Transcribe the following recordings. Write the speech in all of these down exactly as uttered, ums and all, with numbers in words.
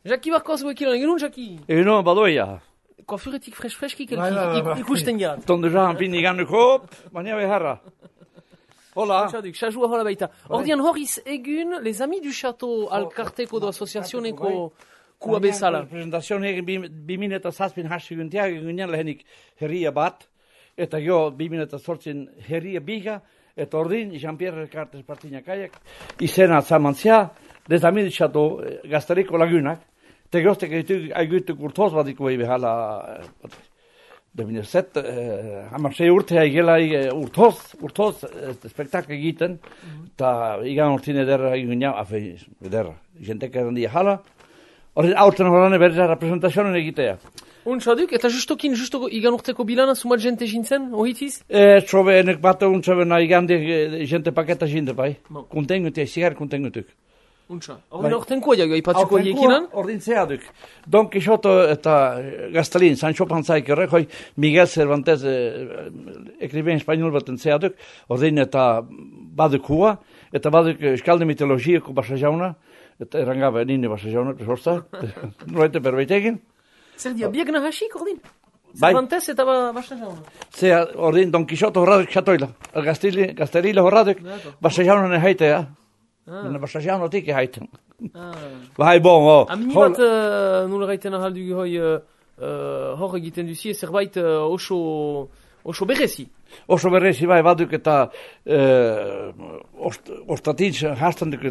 Jaki barkoz guekilan, egun Jaki? Egunon, badoia. Koafuretik fresh-freshkik Bai, bai, bai. ikusten jat. Tonde jahan pini ganduko, baina beharra. Hola. Txaduk, txazua hola baita. Ordian horiz egun, les amis du château alkarteko do asoziazioneko kua bezala. Presentazioan egin bimin eta zazpin hasi guntiak, egunean lehenik herria bat, eta jo bimin eta zortzin herria biga, eta ordin, Jean-Pierre Cartes partinakaiak, izena zamantzia, les amis du château gaztariko lagunak, eta goztek egituk urtoz badiko ebe hala, Devine zet, hamartze urtea igela urtoz, urtoz spektak egiten, eta igan urtin ederra egunean, afe, ederra, jentek errandia hala, hori aurten horane berra representazionen egitea. Untxaduk, eta justokin, justo igan urteko bilana, sumat jente jintzen, ohitiz? E, trobe, enek bat untxabena igan de jente paketa jinte bai, kontengutek, sigar kontengutek. Untxa, hori nortenkoa jago, ipatzuko jekinan? Ordin zeaduk. Don Quixote eta Gastalin, Sancho Panzaik errek, hoi Miguel Cervantes, ekriben espainol baten zeaduk, ordin eta badukua, eta baduk eskalde mitologiako basa jauna, eta errangabe nini basa jauna, presorza, noite perbeitekin. Zer dia, biak nahasik, ordin? Bai. Cervantes eta basa jauna? Zea, ordin, Don Quixote horraduk xatoila, Gastalile horraduk, basa jauna nehaitea. Nena basa jauna tiki haiten. Bai, bon, oh. Amini bat, nula gaiten ahaldu hoi, hor egiten duzie, zerbait oso, oso berezi. Oso berezi, bai, baduk eta ostatin hastan duk,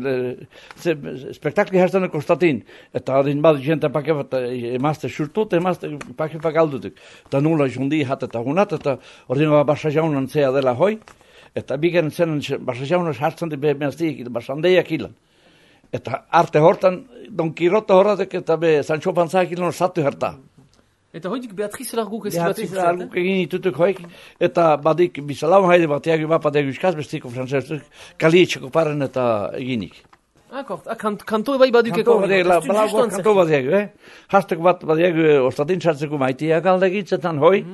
spektakli hastan duk ostatin. Eta adin baduk jente pake bat emazte surtut, emazte pake pak aldutuk. Eta nula jundi hat eta hunat, eta ordin basa jaunan zea dela hoi. Eta bigen zenen basa jaunas hartzen di behemaztik, basandeiak ilan. Eta arte hortan, Don Quixote horretek eta be Sancho Panzaik ilan satu herta. Eta hoidik Beatriz Larguk ez Beatriz Larguk egin itutuk hoik, eta badik bizalau haide bat eagi bapat egu iskaz bestiko francesuk, kalietxeko paren eta eginik. Akort, kanto ebai badukeko. Kanto bat egu, eh? Hasteko bat bat egu ostatin txartzeko maitiak aldegitzetan hoi,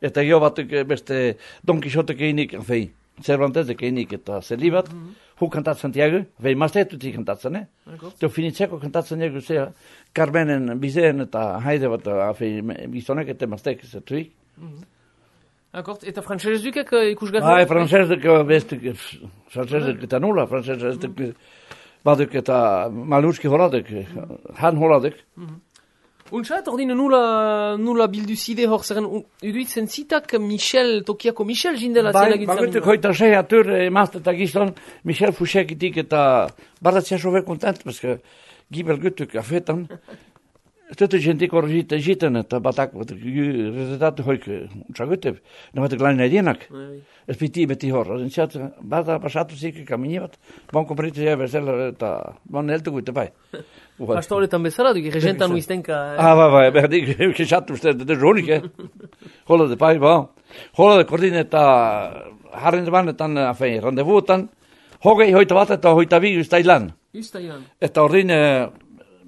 eta jo batuk beste Don Quixote eginik, fei. Cervantes eginik eta zelibat, hu kantatzen tiago, fei maztetutik kantatzen, eh? Teo finitzeko kantatzen egu zea, Carmenen bizeen eta haide bat, fei gizonek eta maztek zetuik. Akort, eta frantzesdukek ikusgarri? Hai, frantzesduk bestuk, frantzesduk eta nula, frantzesduk baduk eta maluski horaduk, han horaduk. Untxat, ordin nula, nula bildu zide hor zeren, uduitzen zitak Michel, Tokiako Michel jindela zela gintzen. Bai, bagutuk hoita sei atur emazte eta gizon, Michel Fouchekitik eta baratzea sobe kontent, paske gibel gutuk afetan. Tutu jentik hor jiten eta batak, rezultatu hoik untxagutep, namatuk lan edienak. Ez piti beti hor, zintzat, bata pasatu zik kamini bat, bon kompritu zea bezala eta bon eltu gute bai. Hasta horretan bezala, duk regentan uiztenka. Ah, bai, bai, berdik, kexatu uste, de ronik, eh? Hola de pai, ba. Hola de kordin eta harren banetan, afei, randevuetan, hogei hoita bat eta hoita bi ustailan. Ustailan. Eta ordin,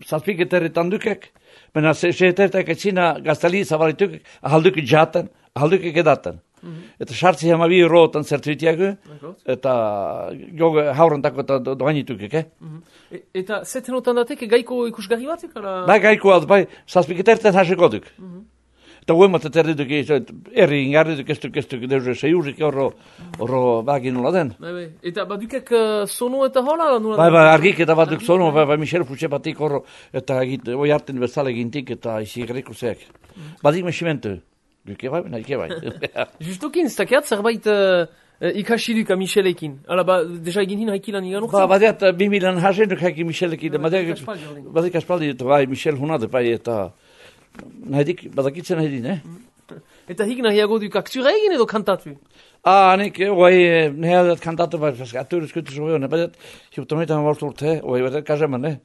zazpiketerretan dukek, Bena seetertak etzina Gaztali zabalituk ahalduk jaten, ahalduk edaten. Eta sartzi hamabi rotan zertuitiago, eta jogo haurentako eta doainitukek, eh? Eta zetenotan datek gaiko ikusgarri batek? Bai, gaiko alt, bai, zazpiketerten haseko duk. Eta huemat eta erdiduk, erri ingarriduk, ez duk, ez duk, deuze seiurrik horro, horro bagin nola den. Eta badukek sono eta hola? Bai, bai, argik eta baduk sono, bai, bai, Michel Fouché batik horro, eta oi hartin bezala egintik, eta izi egreko zeak. Badik mesimentu, duke bai, nahi bai. Justokin, ez dakiat zerbait ikasiduka Michelekin. Hala, ba, deja egin hin haikilan igan urtzen? Ba, badiat, bimilan hasenuk haiki Michelekin. Badik aspaldi, bai, Michel hunade, bai, eta... Nahidik, badakitzen nahi din, eh? Eta hik nahiago duk aktura egin edo kantatu? Ah, nik, oai, nahiadat kantatu, bai, atur eskutu zuen, badat, hiutometan bort urte, oai, badat kazeman, eh?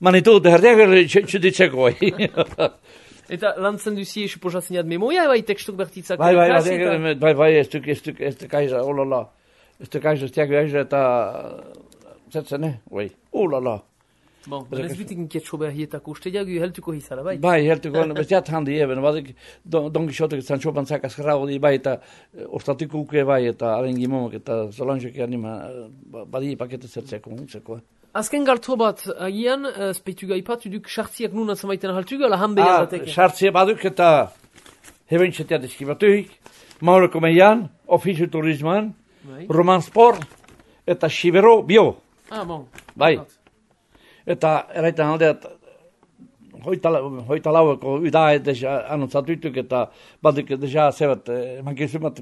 Manitu, deherdiak txuditzeko, oai. Eta lantzen duzi, suposatzen jad memoria, bai, tekstuk bertitzak? Bai, bai, bai, bai, bai, ez duk, ez duk, ez duk aiza, olala. Ez duk aiza, ez duk aiza, eta... Zetzen, eh, oai, olala. Bon, ez bitik inkietxo behar hietako, uste jagu heltuko hizara, bai? Bai, heltuko, bestiat handi eben, badik Don Quixote Sancho Panzak azkarrago di bai, eta ostatiko uke bai, eta aren gimomak, eta zolanxoki anima, badi pakete zertzeko, zeko. Azken galtzo bat, agian, uh, speitu gaipat, uduk sartziak nuna zamaiten haltugu, ala hanbeia Ah, dateke. sartzia baduk eta hebentxetea deskibatuik, Maureko meian, ofizio turisman, Bai. Roman Sport, eta Xibero bio. Ah, bon. Bai. Eta eraitan aldeat, hoita, hoita laueko udae deja anuntzatuituk eta baduk deja zebat, mankizumat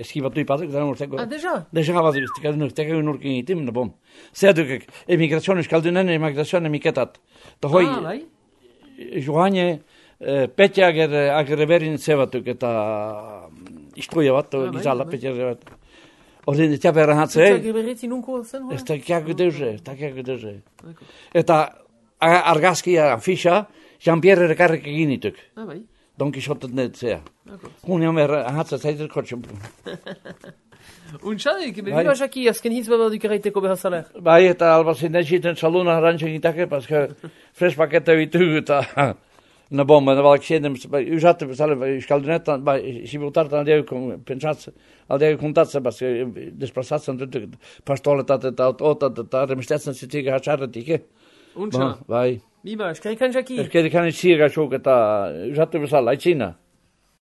eskibatu ipatuk, eta nurteko. Ah, deja? Deja baduk, tekak nurkin itim, no bom. Zedukek, emigrazioan euskaldunen, emigrazioan emiketat. Ta hoi, Ah, bai. joane, Petja ager, ager berin zebatuk eta istuia bat, bai, gizala, bai. petja bat. Ordin, eta berra hatze, Zitzak berretzi nunko zen, hori? ez da kiago deuze, ez da kiago deuze. Eta a- argazkia, fixa, Jean-Pierre rekarrik egin dituk. Ah, bai. Don Quixote net zea. D'accord. Hun jomer, hatze zaitur kotxen. Untxadik, Bai. bebiba jaki, azken hitz bat duk erraiteko behazalek. Bai, eta albazin desiten saluna arantxen gitake, paska fres pakete bitugu eta... Na bom, na balak sjedem, uzate bezale, uskaldunetan, ba, sibutartan aldeju pensatse, aldeju kontatse, bas, desplazatsen tutuk, pastoletat eta otat eta remestetsen zitiga hatxarretike. Untxa. Bai. Biba, eskarikan jaki. Eskeri kan itziega xok eta uzate bezala, aitzina.